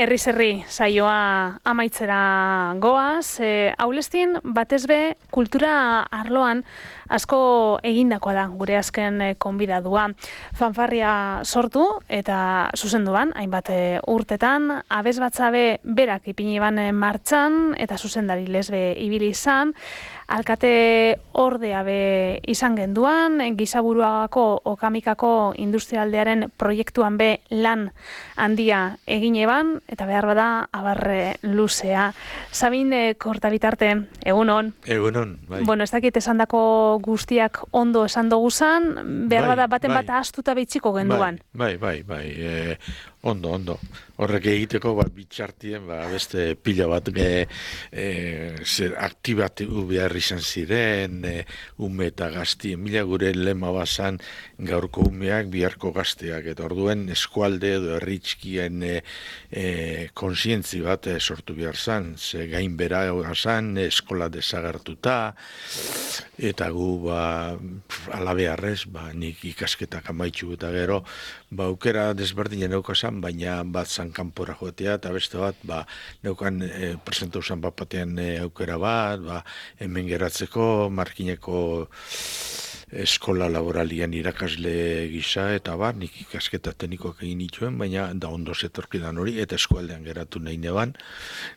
Herri saioa amaitzera goaz. Aulestin batez be kultura arloan asko egindakoa da gure azken konbidadua. Fanfarria sortu eta zuzenduan, hainbat urtetan, abesbatzabe berak ipini ban martxan eta zuzendari lesbe ibili izan, alkate ordea be izan genduan, Gizaburuagako Okamikako industrialdearen proiektuan be lan handia egin eban, eta behar bada abarre luzea. Sabin Kortabitarte, egunon. Egunon, bai. Bueno, ez dakit esandako guztiak ondo esan doguzan, behar bada baten bat astuta behitziko genduan. Bai. Ondo. Horrek egiteko bitxartien beste pila bat aktibatu behar izan ziren, ume eta gaztien, mila gure lema bazan gaurko umeak, biharko gazteak, eta orduen eskualde edo herritxkien konsientzi bat sortu behar zan, ze gainbera zan, eskola desagertuta, eta gu alabearrez, nik ikasketak amaitxu eta gero, aukera desberdinen neukazan, baina bat zan kanpora joatea, eta beste bat, neukan presentau zan bat batean aukera bat, hemen geratzeko, markineko eskola laboralian irakasle gisa, eta nik ikasketa teknikoak egin nituen, baina da ondo zetorkidan hori, eta eskualdean geratu nahi neban,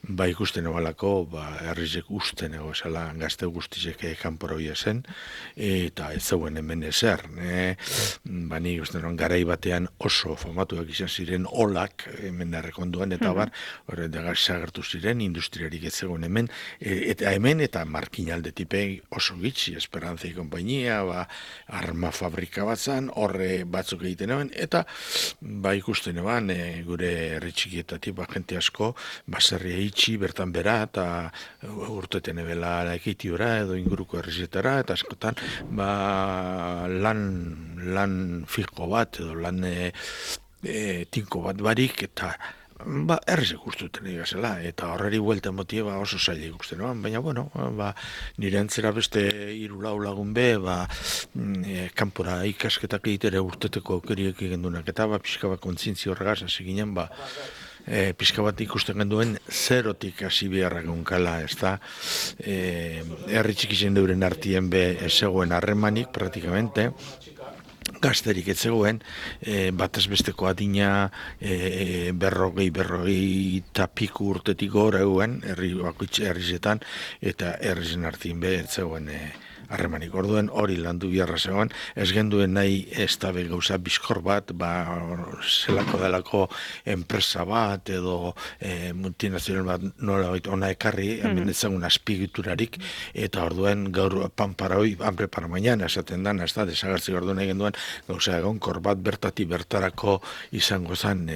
ikusten ebalako, herrizek usten ego esala, gazte guztizek kanpora hoia zen, eta ez zeuen hemen ezer. Nik usten garai batean oso famatuak izan ziren olak, hemen errekonduan, eta horre desagertu ziren, industriarik ez zegoen hemen, eta markinalde tipei oso gitzi, Esperantzai konpainia, arma fabrika bat zan, horre batzuk egiten eban, eta ikusten eban, gure herritxikietatik, jente asko, baserria itxi, bertan bera, eta urteten ebela ekitiora, edo inguruko herrizetara, eta askotan, lan fijo bat, edo lan tinko bat barik, eta herrizek ustuten egazela, eta horreri buelta motie oso zaila ikusten, baina, nire antzera beste 3-4 lagun be, kanpora ikasketak egitere urteteko aukeriek egendunak, eta pixka bat kontzientzia horregaz, hasi ginen, pixka bat ikusten genduen zerotik hasi beharra gunkala, ez da, herritxik izan deuren artien be zegoen harremanik, praktikamente, gazterik ez zegoen, batez besteko adina berrogei eta piku urtetik gora eguen, herrizetan, eta herrizen artien be ez zegoen harremanik. Orduen hori landu biharra zegoen, ez genduen nahi ez da gauza bizkor bat, zelako delako enpresa bat, edo multinazional bat nola baita ona ekarri, hemen ez zegoen azpigiturarik, eta orduen gaur pan para hoi, hambre para mañana, esaten dan, ez da, desagartzi orduen egin duen, gauza egonkor bat bertarako izango zen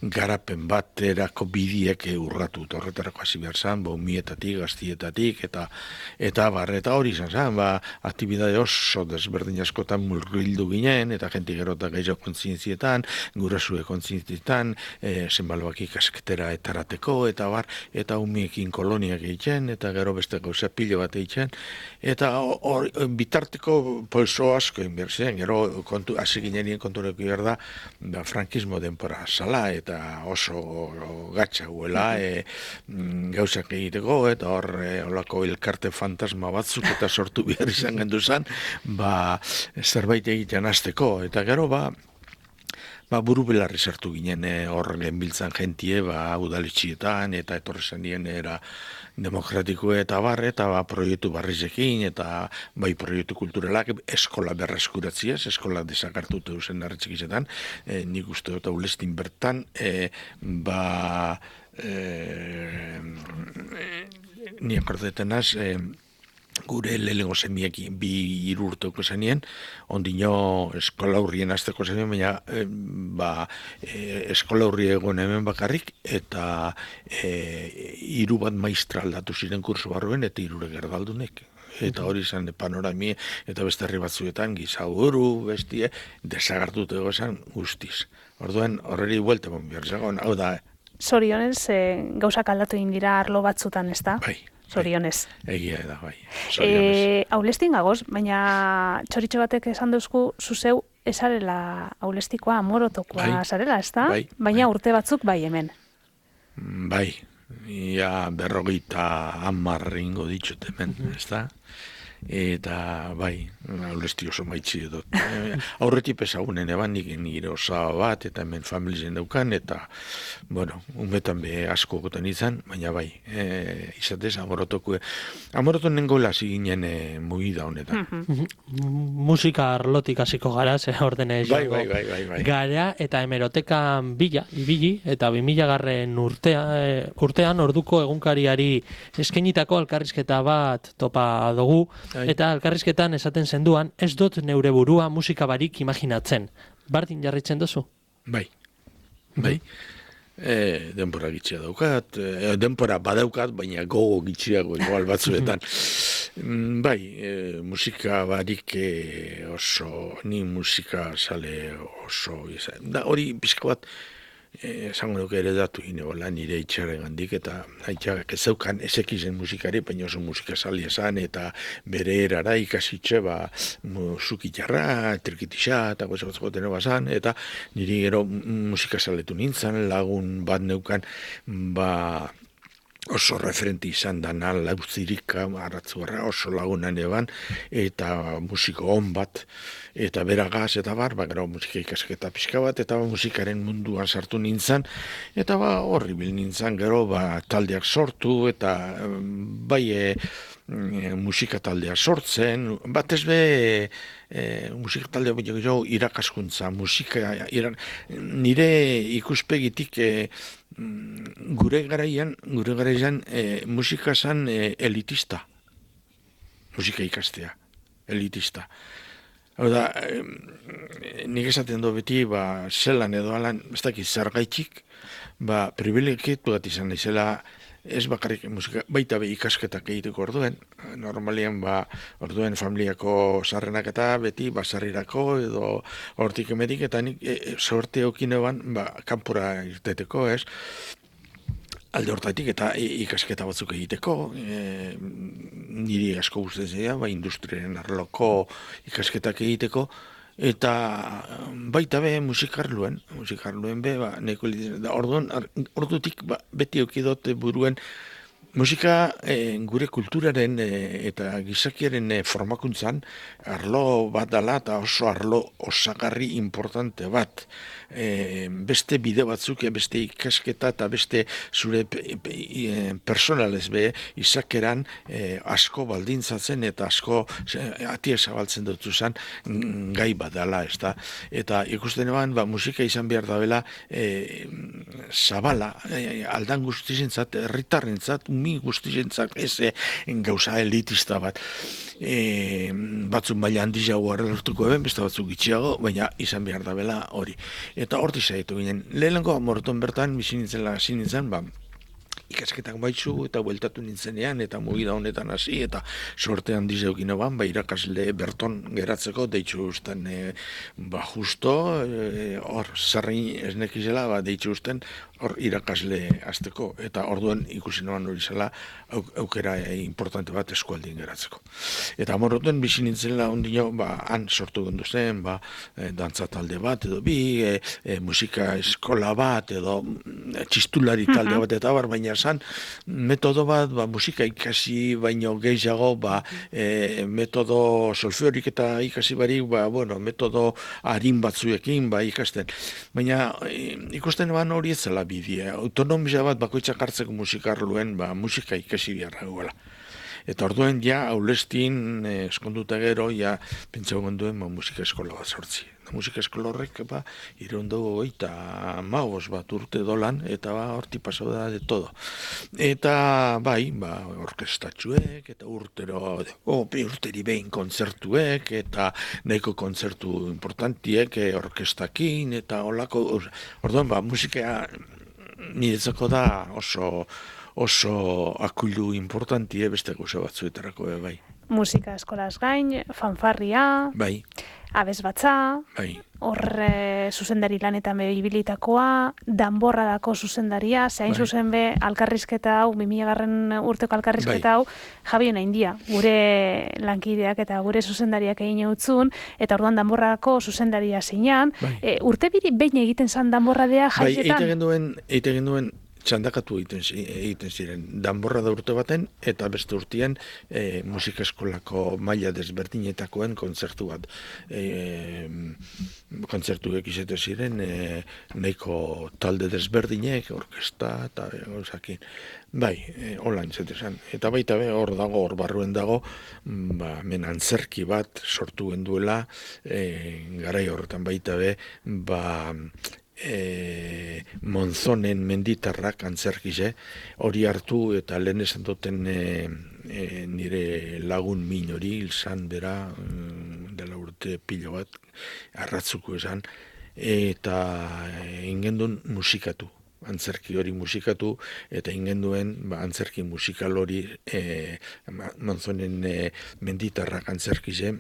garapen bat erako bidiek urratu, horretarako hasi behar zen, mietatik, gaztietatik, eta hori izan zen, aktibidade oso desberdin askotan murgildu ginen, eta jenti gerota gehiago kontzientzietan, gurasue kontzientzietan, zenbaloak ikasketera etarateko, eta umiekin koloniak egiten, eta gero beste gauza pilo bat egiten, eta bitarteko polso asko inbertzen, gero hasi ginenien kontureko behar da, frankismo denpora zala, eta oso gatsa guela, gauzak egiteko, eta horrelako elkarte fantasma batzuk, eta sortu behar izan gendu zen, zerbait egiten hasteko, eta gero buru belarri sartu ginen hor genbiltzan jentie, udaletxietan, eta etorri zenien era demokratiko eta proiektu barrizekin, eta proiektu kulturalak, eskola berreskuratziaz, eskola desakartutu zen hartzikizetan, nik uste dut Aulestin bertan, ni akordetenaz, gure lehenengo semiek 2 urteko zenien, ondino eskola hurrien azteko zenien, baina eskola hurri egon hemen bakarrik, eta 3 bat maistra aldatu ziren kursu barruen, eta 3 gerdaldunek. Eta hori izan panorami, eta beste herri batzuetan, Gizaburu, bestie, desagartutu egozan guztiz. Orduen, horreri buelte bon behar zagoen, hau da. Zorionez, gauzak aldatu egin dira arlo batzutan, ez da? Bai. Zorionez. Egia da, bai. Aulestin gagoz, baina txoritxo batek esan duzku, zuzeu esarela aulestikoa, amorotokoa zarela, ez da? Baina urte batzuk bai hemen. Bai, ia 50 ingo ditut hemen, ez da? Eta bai, aurresti oso maitzi dut. Aurretik ezagunen eban nire osaba bat, eta hemen familizen daukan, eta, bueno, umetan be asko goten izan, baina bai, izatez, amoroton nengoela ziginen mugida honetan. Musika arlotik hasiko gara, ze ordene Bai. gara, eta hemerotekan ibili, eta 2000 urtean orduko egunkariari eskainitako elkarrizketa bat topa dugu, eta elkarrizketan esaten zenduan, ez dut neure burua musika barik imaginatzen. Bardin jarritzen duzu? Bai. Denbora gitxia daukat, denbora badaukat, baina gogo gitxiago igual batzuetan. Bai, musika barik ni musika sale oso izan. Da hori pixka bat, esango nuke ere datu gineola nire itxaren gandik, eta haitxak ez zeukan ezekizen musikari, baina oso musika sali esan, eta bere erara ikasitxe, zukitarra, trikitisa, eta gozatzko teno bazan, eta niri gero musika saletu nintzen, lagun bat neukan, oso referenti izan dana, Lauzirika, Arratzuarra, oso lagunan eban, eta musiko on bat, eta beragaz, eta gero musika ikasketa pixka bat, eta musikaren munduan sartu nintzen, eta horri bil nintzen, gero taldeak sortu, eta bai musika taldea sortzen, batez be musika taldea irakaskuntza, nire ikuspegitik gure garaian musika zan elitista, musika ikastea, elitista. Hau da, nik esaten du beti, zelan edo alan, ez dakit zergaitxik, privilegiatu bat izan daizela, ez bakarrik musika, baita be ikasketak egiteko orduen, normalian orduen familiako sarrenak eta beti basarrirako edo hortik emetik, eta nik sorte okinoan kanpora irteteko, ez? Alde hortatik eta ikasketa batzuk egiteko, niri asko guztetzea, industriaren arloko ikasketak egiteko, eta baita be musikarluen be, neko ordutik beti okidot buruen musika gure kulturaren eta gizakiaren formakuntzan arlo bat dala eta oso arlo osagarri importante bat. Beste bide batzuk, beste ikasketa eta beste zure personalez be izakeran asko baldintzatzen eta asko atia zabaltzen dut zuzan gai bat dala, ez da. Eta ikusten eban, musika izan behar da bela zabala, aldan guztizentzat, herritarrentzat, mi guztizentzat, ez gauza elitista bat. Batzuk maila handiago harrelortuko eben, beste batzuk gitxiago, baina izan behar da bela hori. Eta horti zaitu ginen. Lehenengo amoroton bertan, bizi nintzen, ikasketak baitzu eta bueltatu nintzenean eta mugida honetan hasi eta sorte handiz eukin eban, irakasle berton geratzeko deitzu usten justo, hor zerrein esnekizela, deitzu usten hor irakasle azteko eta orduan ikusi noan hori zela aukera importante bat eskualdien geratzeko. Eta amoroten bizi nintzela ondino, han sortu gendu zen, dantza talde bat edo musika eskola bat edo txistulari talde bat eta baina zan metodo bat, musika ikasi baino gehiago, metodo solfeorik eta ikasi barik, metodo harin batzuekin ikasten. Baina ikusten hori ez zela bidea. Autonomia bat bakoitzak hartzeko musikarluen, musika ikasi biharra guela. Eta orduen aulestin eskonduta gero, pentsau gonduen musika eskola bat sortzi. Musika eskola horrek, ireundago eta magos bat urte dolan, eta horti pasau da de todo. Eta orkestatxuek, eta urteri behin kontzertuek, eta nahiko kontzertu importantiek, orkestakin, eta holako, orduan, musika niretzako da oso akuilu importantie beste gauza batzuetarako bai. Musika eskolaz gain, fanfarria, bai. Abesbatza, bai. Horre zuzendari lanetan behibilitakoa, danborradako zuzendaria, zehain zuzen be alkarrizketa hau, 2000 urteko alkarrizketa hau, Javion Aindia, gure lankideak eta gure zuzendariak egin eutzun, eta orduan danborradako zuzendaria zeinan. Urte behin egiten zan danborradea jaietan? Eite genduen txandakatu egiten ziren. Danborra da urte baten, eta beste urtean musika eskolako maila desberdinetakoen kontzertu bat. Kontzertuek izate ziren, nahiko talde desberdinek, orkesta, eta gauzakin. Bai, hola entzete zen. Eta baita hor dago, hor barruen dago, men antzerki bat sortu genduela, garai horretan baita Monzonen menditarrak antzerkize, hori hartu eta lehen esan duten nire lagun min hori, ilzan bera, dela urte pilo bat, arratzuko esan, eta ingendun musikatu. Antzerki hori musikatu, eta ingenduen antzerki musikal hori Monzonen menditarrak antzerkize,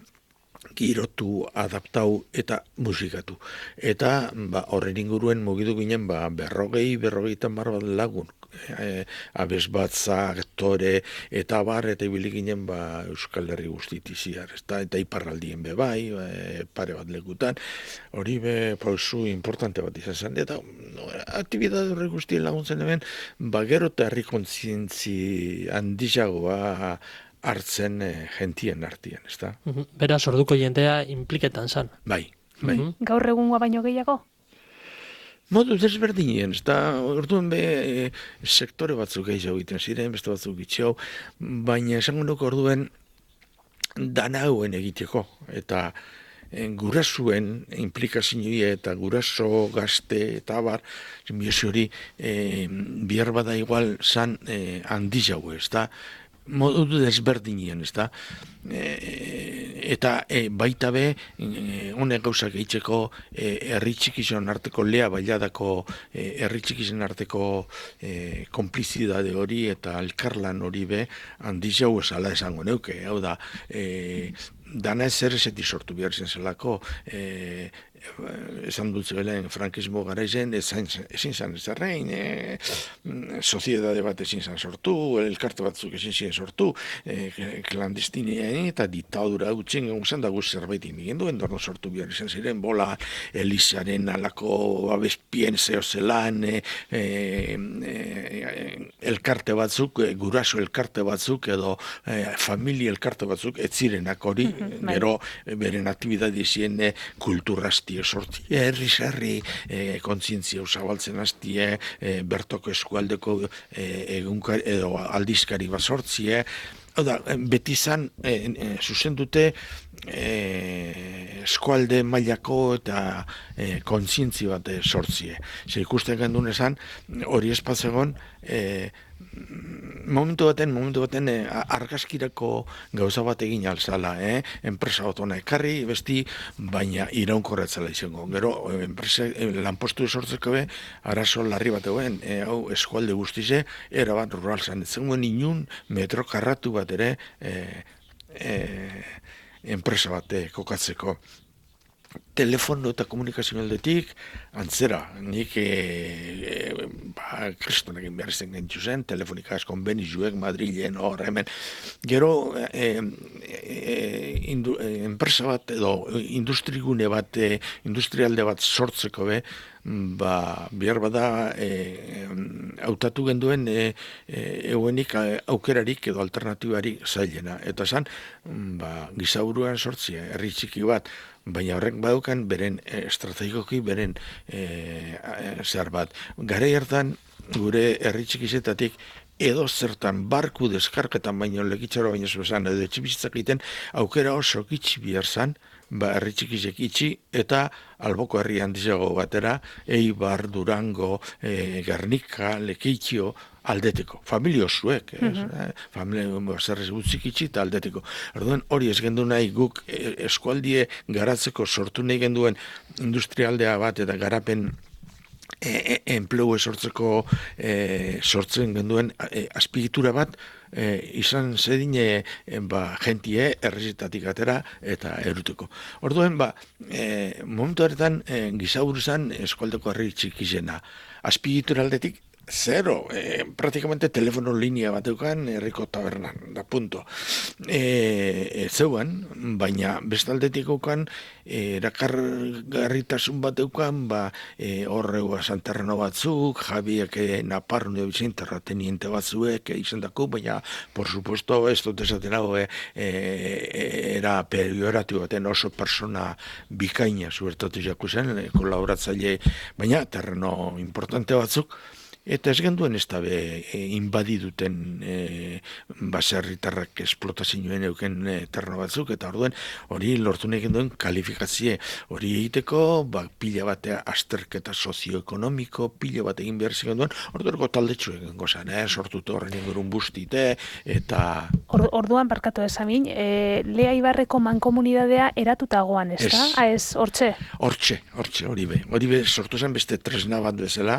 girotu, adaptau eta musikatu. Eta horren inguruen mugidu ginen 40 bat lagun. Abesbatza, aktore, eta eta ibili ginen Euskal Herri guztitiziar, eta iparraldien bai, pare bat lekutan, hori pausu importante bat izan zen, eta aktibidade horri guztien laguntzen hemen, gero eta herri kontzientzi handiagoa hartzen gentien artean, ezta? Beraz, orduko jendea impliketan zan. Bai. Gaur egungoa baino gehiago? Modu desberdinien, eta orduan sektore batzuk gehiago egiten ziren, beste batzuk gitxau, baina esango nuke orduen dana hauen egiteko, eta gurasuen implikazioa eta guraso gazte eta abar, simbiosi hori bihar bada igual zan handi jau, ez da, modu desberdinien, ez da, eta baita honek gauzak eitzeko herri txikizon arteko lea bailadako herri txikizon arteko konplizidade hori eta elkarlan hori handi jau esala esango neuke, hau da, dana ezer ezetik sortu behar zen zelako, esan dut zebelen frankismo garaizen, ezin zan ezarrein, soziedade bat ezin zan sortu, elkarte batzuk ezin ziren sortu, klandestinean eta diktadura gutxen gauzen da guz zerbait indigendu, endorno sortu behar izan ziren, bola, Elizaren alako abespien zehozelan, elkarte batzuk, guraso elkarte batzuk, edo familia elkarte batzuk, ez zirenak hori, gero beren aktibidade zien kulturrazti sortie, herri kontzientzia usabaltzen hastie, bertoko eskualdeko edo aldizkari bat sortzie, beti zan zuzendute eskualde mailako eta kontzientzi bat sortzie. Zer ikusten gendun esan, hori espatzegon, momentu baten argazkirako gauza bat egin alzala, enpresa bat ona ekarri, besti, baina iraunkorretzela izango. Gero, lanpostu sortzeko arazo larri bat eguen, hau eskualde guztize, erabat rural zan. Zengoen inun metro karratu bat ere enpresa bat kokatzeko. Telefono eta komunikazio aldetik, antzera, nik kristonak behar izan gentzu zen, telefonikaz konbenizuek, Madrilen, hor, hemen. Gero, enpresa bat edo industrigune bat, industrialde bat sortzeko bihar bada hautatu genduen euenik aukerarik edo alternatibari zailena. Eta zan, gizaburuan sortzia, herri txiki bat, baina horrek badukan beren estrategikoki beren zer bat. Garai hartan gure herri txikizetatik edo zertan barku deskarketan baino lekitzaro baino zuzan edo etxibizitzak egiten aukera oso gitxi bihar zan, herri txikizek itxi eta alboko herri handizago batera, Eibar, Durango, Gernika, Lekeitio, aldeteko, familio zuek, familia zerrez gutzik itxi eta aldeteko. Orduan hori ez gendu nahi guk eskualdie garatzeko sortu nahi genduen industrialdea bat eta garapen enplegu sortzeko sortzen genduen azpigitura bat izan zedine jentie errezitatik atera eta eruteko. Orduan, momentu horretan gizaburu zan eskualdeko herri txikizena. Azpigitura aldetik Zero, praktikamente telefono linea bat eukan herriko tabernan, da punto. Zeuan, baina bestaldetik eukan erakargarritasun bat eukan, horreua Santerreno batzuk, Javiek Naparro Vicente teniente batzuek izan dako, baina, por supuesto, ez dut esaten hau, era perioratu baten oso persona bikaina zuertatu jaku zen, kolaboratzaile, baina terreno importante batzuk, eta ez genduen ez dabe inbadiduten baserritarrak esplotazioen euken terreno batzuk, eta orduen hori lortu nahi genduen kalifikazio hori egiteko, pila batea azterketa sozioekonomiko, pila bat egin behar genduen, orduerko taldetxu egin gozan, sortutu horren ingurun bustite, eta... Orduan, barkatu esamin, Lea Ibarreko mankomunidadea eratutagoan, ez da? Ez, hortxe? Hortxe, hori be, sortu zen beste tresna bat bezala,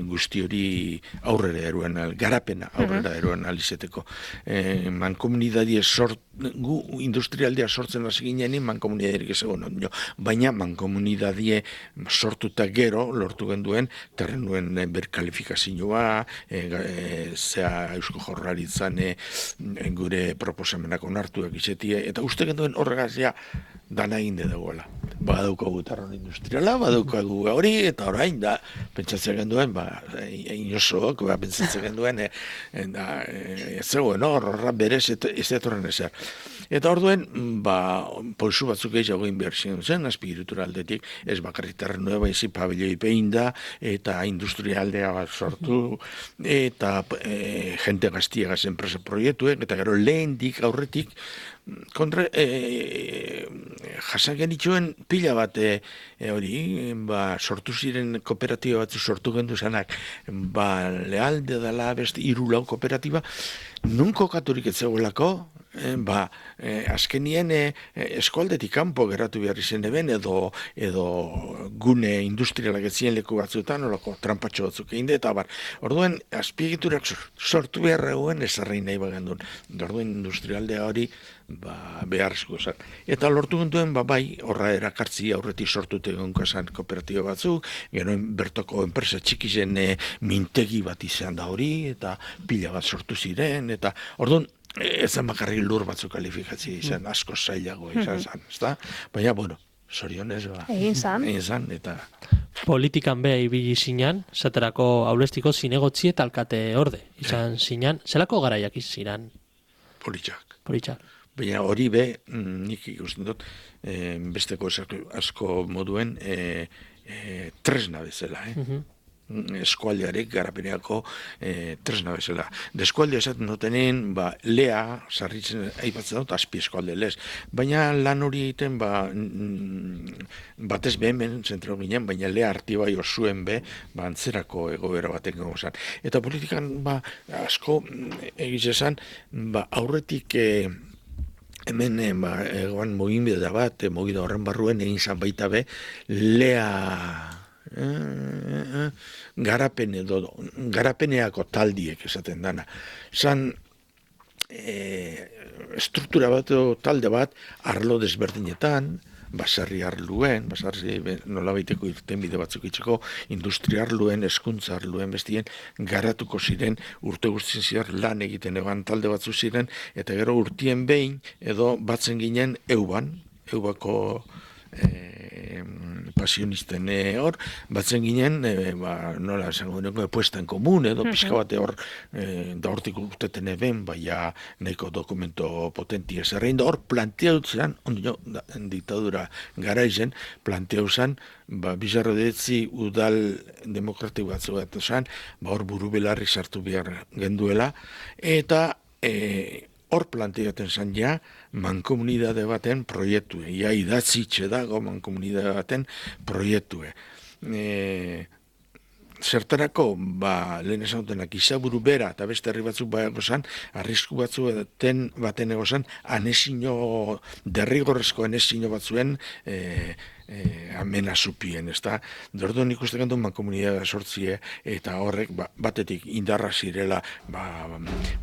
guzti hori aurrera eruan, garapena aurrera eruan alizeteko. Mankomunidadie gu industrialdea sortzen hasi ginean, mankomunidadierik ez egon, baina mankomunidadie sortuta gero, lortu genduen, terrenuen berkalifikazioa, zea Eusko Jaurlaritzan gure proposamenak onartuak izetie, eta uste genduen horregazia dana inde dagoela. Badaukagu terren industriala, badaukagu hori, eta orain da, pentsatzen genduen, inosoak, pentsatzen genduen, ez zegoen, horra berez ez etorren ezer. Eta orduen, polsu batzuk gehiago behar zen, azpigiritura aldetik, ez bakarrik terrenua baizi pabelloi pein da, eta industrialdea bat sortu, eta jente gaztiagaz enpresa proiektuek, eta gero lehendik, aurretik, jasan genituen pila bat hori, sortu ziren kooperatiba batzu sortu gendu zanak, Lealde dela beste 3-4 kooperatiba, nun kokaturik ez zegoelako, azkenien eskualdetik kanpo geratu behar izen eben, edo gune industrialak etzien leku batzuetan, olako trampatxo batzuk egin eta orduen, azpiegiturak sortu behar eguen ezarrein nahi bagendun. Orduen industrialdea hori beharrezko zen. Eta lortu genduen, horra erakartzi aurretik sortute egonkazan kooperatiba batzuk, gero bertoko enpresa txiki zen mintegi bat izan da hori, eta pila bat sortu ziren, eta orduan, ezan bakarrik lur batzuk kalifikatzi izan, asko zailago izan zan, ezta? Baina, zorionez, egin zan, eta... Politikan beha ibili zinan, zaterako aulestiko zinegotzi eta alkate orde, izan zinan, zelako garaiak izan? Politxak. Baina hori nik ikusten dut, besteko asko moduen tresna bezala, eskualdearek garapeneako tresna bezala. De eskualdea esaten dutenen, Lea, sarritzen aipatzen dut, azpi eskualde lez. Baina lan hori egiten, batez hemen zentro ginen, baina Lea artibai osuen antzerako egoera baten gozan. Eta politikan, asko egizezan, aurretik hemen egoan mugimbide bat, mugida horren barruen egin zan baita Lea garapeneako taldiek esaten dana. Zan struktura bat talde bat arlo desberdinetan, basarri arluen, basarri nolabaiteko irtenbide batzuk itxeko, industria arluen, hezkuntza arluen bestien, garatuko ziren, urte guztien ziren lan egiten eban talde batzu ziren, eta gero urtien behin, edo batzen ginen eubako pasionisten hor, batzen ginen, nola esango deneko, puesta en komun, edo pixka bate hor, da hortik urteten eben, baina nahiko dokumento potenti ezarrein, da hor planteautzen, diktadura garaizen, planteautzen, bizarro detzi udal demokratiko batzu bat esan, hor buru belarri sartu behar genduela, eta hor planteaten zan ja, mankomunidade baten proiektue. Ja, idatzitxe dago mankomunidade baten proiektue. Zertarako, lehen esan dutenak, izaburu bera, eta beste herri batzuk gozan, arrisku batzu baten egozan, derrigorrezko anesino batzuen amenazupien, ez da? Dorduan ikusten gandu mankomunidadea sortzie, eta horrek batetik indarra zirela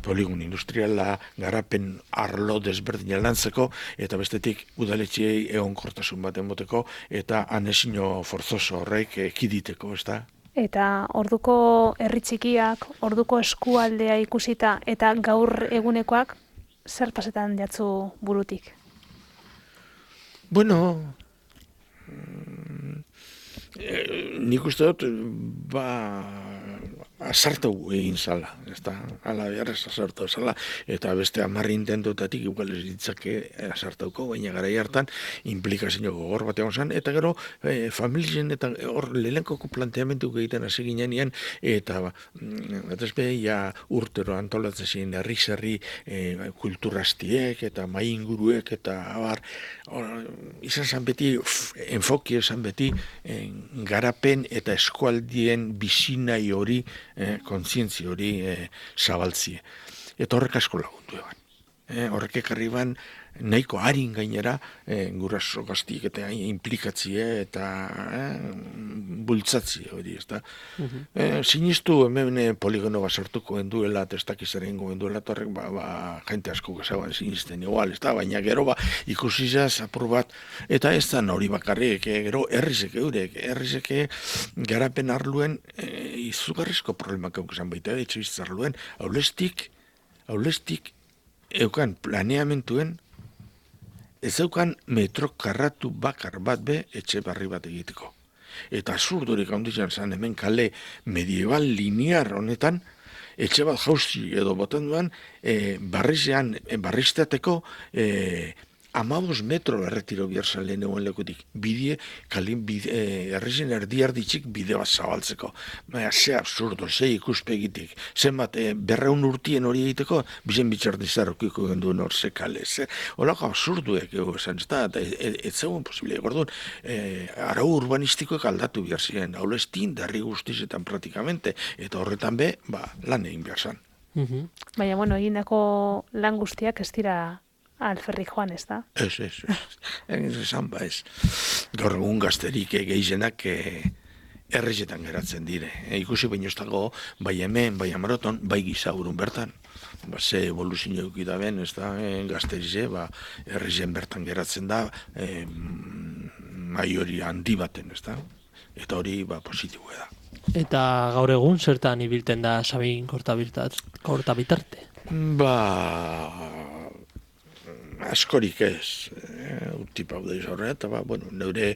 poligon industriala, garapen arlo desberdina lantzeko, eta bestetik udaletxiei egonkortasun baten boteko, eta anesino forzoso horrek ekiditeko, ez da? eta orduko herri txikiak, orduko eskualdea ikusita eta gaur egunekoak zer pasetan jatzu burutik? Bueno, nik uste dut, asartu egin zala, ala beharrez asartu zala, eta beste 10 intentotatik igual ez ditzake asartauko, baina gara hartan implikazio gogor bat egon zen, eta gero familien eta hor lehenkoko planteamentu egiten hasi ginean, eta batez be, urtero antolatzen ziren herri kulturastiek, eta mai inguruek, eta abar, izan zen beti, enfoki esan beti, garapen eta eskualdien bizinai hori, kontzientzia hori zabaltzie. Eta horrek asko lagundu eban. Horrek ekarri ban nahiko harin gainera guraso gaztiek eta implikatzie eta bultzatzie hori, ezta. Sinistu hemen poligono bat sortuko enduela, testakizaren goenduela, eta horrek jente asko gezagoan sinisten igual, ezta, baina gero ikusizaz apur bat, eta ez da hori bakarrik, gero herrizek garapen arluen izugarrizko problemak eukizan baita, etxebizitza arluen, aulestik eukan planeamentuen, ez eukan metro karratu bakar bat be etxe barri bat egiteko. Eta absurdurik handitzen zen hemen kale medieval linear honetan, etxe bat jauzi edo boten duen, barriztateko 15 metro erretiro biharzalen egon lekutik. Herrizen erditxik bide bat zabaltzeko. Ze absurdo, ze ikuspegitik. Zenbat, 200 urtien hori egiteko, bizen bitxardizarrokiko genduen hor ze kale. Olako absurduek esan, eta ez zegoen posible. Gordun, arau urbanistikoek aldatu behar ziren. Hau estin, derri guztizetan praktikamente. Eta horretan be, lan egin behar zan. Baina, bueno, egindako lan guztiak ez dira alferrik joan, ez da? Ez. Esan ez. Gaur egun gazterik gehienak herrizetan geratzen dire. Ikusi baino ez dago, bai hemen, bai Amaroton, bai Gizaurun bertan. Ze evoluzio eukita ben, ez da, gazterize, herrizen bertan geratzen da, maiori handi baten, ez da. Eta hori, positiboa da. Eta gaur egun zertan ibilten da Sabin Kortabitarte? Askorik ez, utipau da izan, eta neure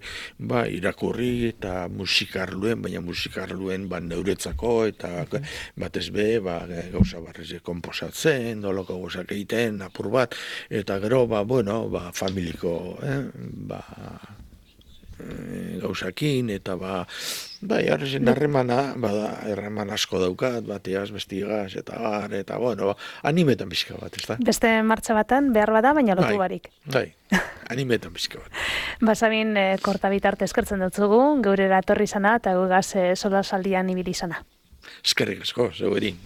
irakurri eta musikarluen, baina musikarluen neuretzako, eta batez be, gauza barrize komposatzen, doloko gozak egiten, apur bat, eta gero, familiko, gauzakin, eta harrezen harreman asko daukat, bateaz, bestigaz, eta animetan bizka bat, ez da? Beste martxa batan, behar bada, baina lotu barik. Animetan bizka bat. Sabin Kortabitarte eskertzen dutzugu, geurera etorri zana, eta gugaz solasaldian ibili zana. Eskerrik asko, zeu edin.